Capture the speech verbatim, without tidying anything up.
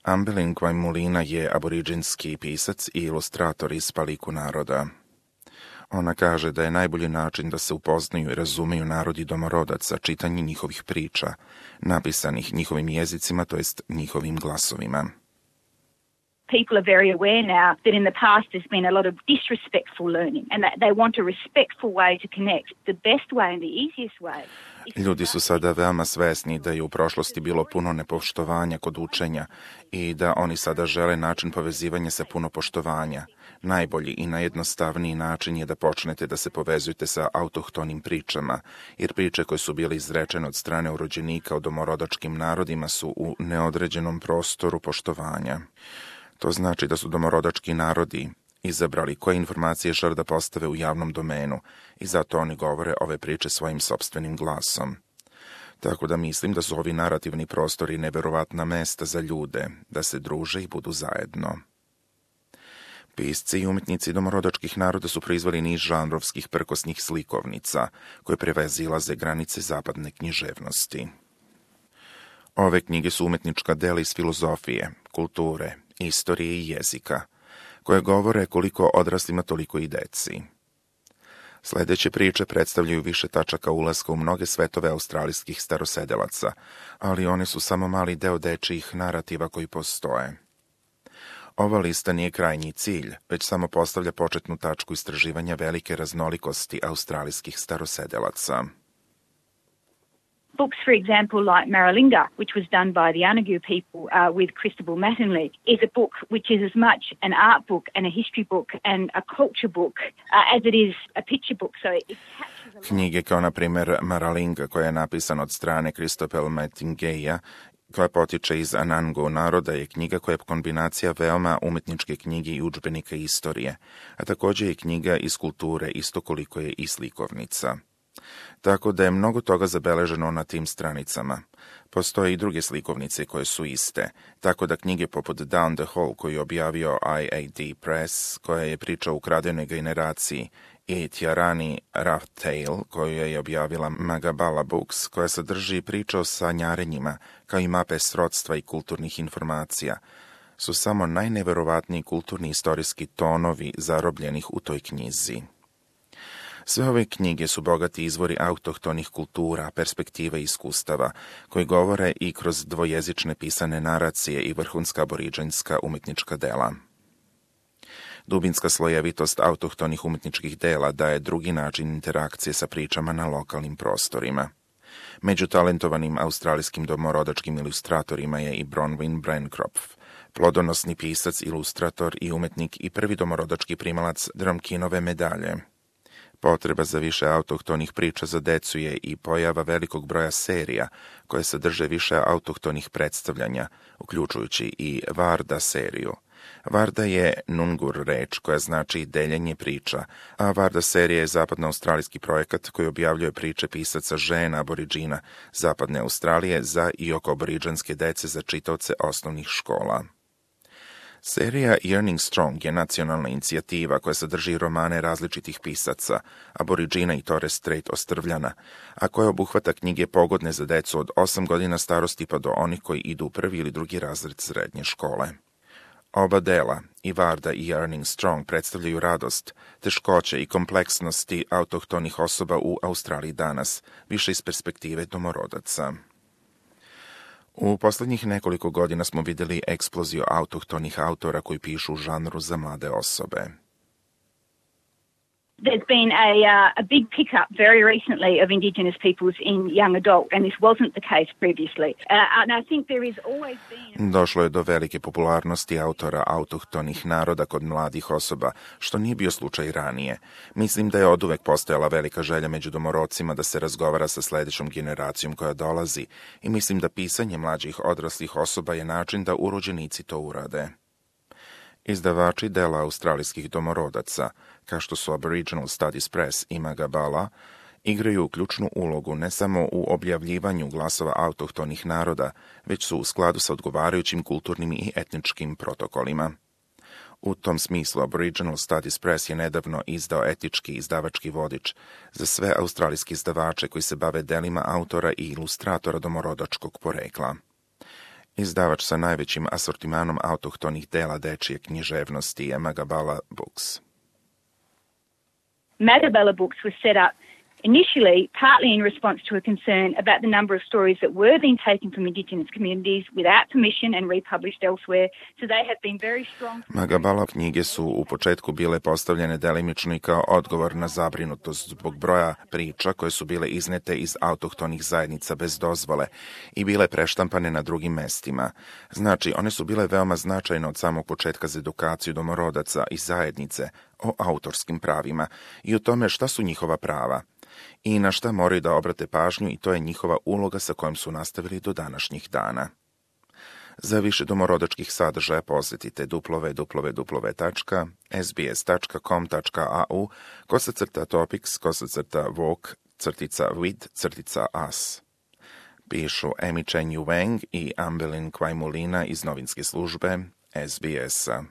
Ambelin Quaimulina je aboriđinski pisac i ilustrator iz Paliku naroda. Ona kaže da je najbolji način da se upoznaju i razumiju narodi domorodaca čitanje njihovih priča, napisanih njihovim jezicima, to jest njihovim glasovima. People are very aware now that in the past there's been a lot of disrespectful learning and that they want a respectful way to connect. The best way and the easiest way. Ljudi su sada veoma svesni da je u prošlosti bilo puno nepoštovanja kod učenja i da oni sada žele način povezivanja sa puno poštovanja. Najbolji i najjednostavniji način je da počnete da se povezujete sa autohtonim pričama, jer priče koje su bile izrečene od strane urođenika o domorodačkim narodima su u neodređenom prostoru poštovanja. To znači da su domorodački narodi izabrali koje informacije žele da postave u javnom domenu i zato oni govore ove priče svojim sopstvenim glasom. Tako da mislim da su ovi narativni prostori neverovatna mesta za ljude, da se druže i budu zajedno. Pisci i umetnici domorodačkih naroda su proizvali niz žanrovskih prkosnih slikovnica, koje prevazilaze granice zapadne književnosti. Ove knjige su umetnička dela iz filozofije, kulture, istorije i jezika, koje govore koliko odraslima toliko i deci. Sledeće priče predstavljaju više tačaka ulaska u mnoge svetove australijskih starosedelaca, ali one su samo mali deo dečijih narativa koji postoje. Ova lista nije krajnji cilj, već samo postavlja početnu tačku istraživanja velike raznolikosti australijskih starosedelaca. Books, for example, like Maralinga, which was done by the Anagu people uh, with Christabel Mattingly, is a book which is as much an art book and a history book and a culture book uh, as it is a picture book. So it captures a... Knjige kao, na primjer, Maralinga, koja je napisana od strane Christabel Mattingly, koja potiče iz Anangu naroda, je knjiga koja je kombinacija veoma umetničke knjige i udžbenika istorije, a također je knjiga iz kulture isto koliko je i slikovnica. Tako da je mnogo toga zabeleženo na tim stranicama. Postoje i druge slikovnice koje su iste, tako da knjige poput Down the Hall koju je objavio I A D Press, koja je priča o ukradenoj generaciji, i Tiarani Rough Tale, koju je objavila Magabala Books, koja sadrži priče o sanjarenjima, kao i mape srodstva i kulturnih informacija, su samo najneverovatniji kulturni istorijski tonovi zarobljenih u toj knjizi. Sve ove knjige su bogati izvori autohtonih kultura, perspektiva i iskustava, koji govore i kroz dvojezične pisane naracije i vrhunska aboriđanska umetnička dela. Dubinska slojevitost autohtonih umetničkih dela daje drugi način interakcije sa pričama na lokalnim prostorima. Među talentovanim australijskim domorodačkim ilustratorima je i Bronwyn Bancroft, plodonosni pisac, ilustrator i umetnik i prvi domorodački primalac Drumkinove medalje. Potreba za više autohtonih priča za decu je i pojava velikog broja serija koje sadrže više autohtonih predstavljanja, uključujući i Varda seriju. Varda je Nungur reč koja znači deljenje priča, a Varda serija je zapadnoaustralijski projekat koji objavljuje priče pisaca žena aboriđina zapadne Australije za i oko aboriđanske dece za čitaoce osnovnih škola. Serija Yearning Strong je nacionalna inicijativa koja sadrži romane različitih pisaca, aboriđina i Torres Strait ostrvljana, a koja obuhvata knjige pogodne za decu od osam godina starosti pa do onih koji idu u prvi ili drugi razred srednje škole. Oba dela, i Varda i Yearning Strong, predstavljaju radost, teškoće i kompleksnosti autohtonih osoba u Australiji danas, više iz perspektive domorodaca. U poslednjih nekoliko godina smo videli eksploziju autohtonih autora koji pišu u žanru za mlade osobe. There's been a, uh, a big pickup very recently of Indigenous peoples in young adult, and this wasn't the case previously. Uh, and I think there has always been... Došlo je do velike popularnosti autora autohtonih naroda kod mladih osoba, što nije bio slučaj ranije. Mislim da je oduvek postojala velika želja među domorodcima da se razgovara sa sledećom generacijom koja dolazi i mislim da pisanje mlađih odraslih osoba je način da urođenici to urade. Izdavači dela australijskih domorodaca, kao što su Aboriginal Studies Press i Magabala, igraju ključnu ulogu ne samo u objavljivanju glasova autohtonih naroda, već su u skladu sa odgovarajućim kulturnim i etničkim protokolima. U tom smislu Aboriginal Studies Press je nedavno izdao etički izdavački vodič za sve australijske izdavače koji se bave delima autora i ilustratora domorodačkog porekla. Izdavač sa najvećim asortimanom autohtonih dela dečije književnosti je Magabala Books. Magabala Books was set up initially partly in response to a concern about the number of stories that were being taken from Indigenous communities without permission and republished elsewhere. So they have been very strong. Magabala knjige su u početku bile postavljene delimično i kao odgovor na zabrinutost zbog broja priča koje su bile iznete iz autohtonih zajednica bez dozvole i bile preštampane na drugim mestima. Znači, one su bile veoma značajne od samog početka za edukaciju domorodaca i zajednice o autorskim pravima i o tome šta su njihova prava i na šta moraju da obrate pažnju, i to je njihova uloga sa kojom su nastavili do današnjih dana. Za više domorodačkih sadržaja posjetite w w w tačka s b s tačka com tačka a u kosacrta topics kosacrta walk crtica with crtica us. Pišu Amy Chen Yu Wang i Ambelin Kwajmulina iz novinske službe S B S-a.